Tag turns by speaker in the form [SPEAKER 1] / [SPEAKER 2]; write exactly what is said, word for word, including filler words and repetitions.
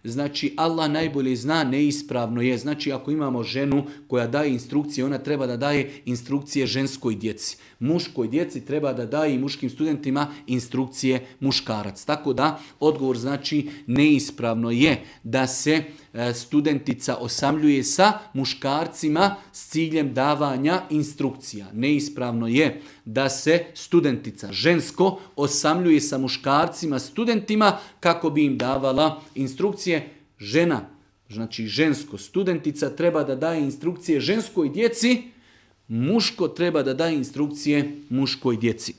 [SPEAKER 1] Znači, Allah najbolje zna, neispravno je. Znači, ako imamo ženu koja daje instrukcije, ona treba da daje instrukcije ženskoj djeci. Muškoj djeci treba da daje i muškim studentima instrukcije muškarac. Tako da, odgovor znači neispravno je da se studentica osamljuje sa muškarcima s ciljem davanja instrukcija. Neispravno je da se studentica žensko osamljuje sa muškarcima studentima kako bi im davala instrukcije. Žena, znači žensko, studentica treba da daje instrukcije ženskoj djeci, muško treba da daje instrukcije muškoj djeci.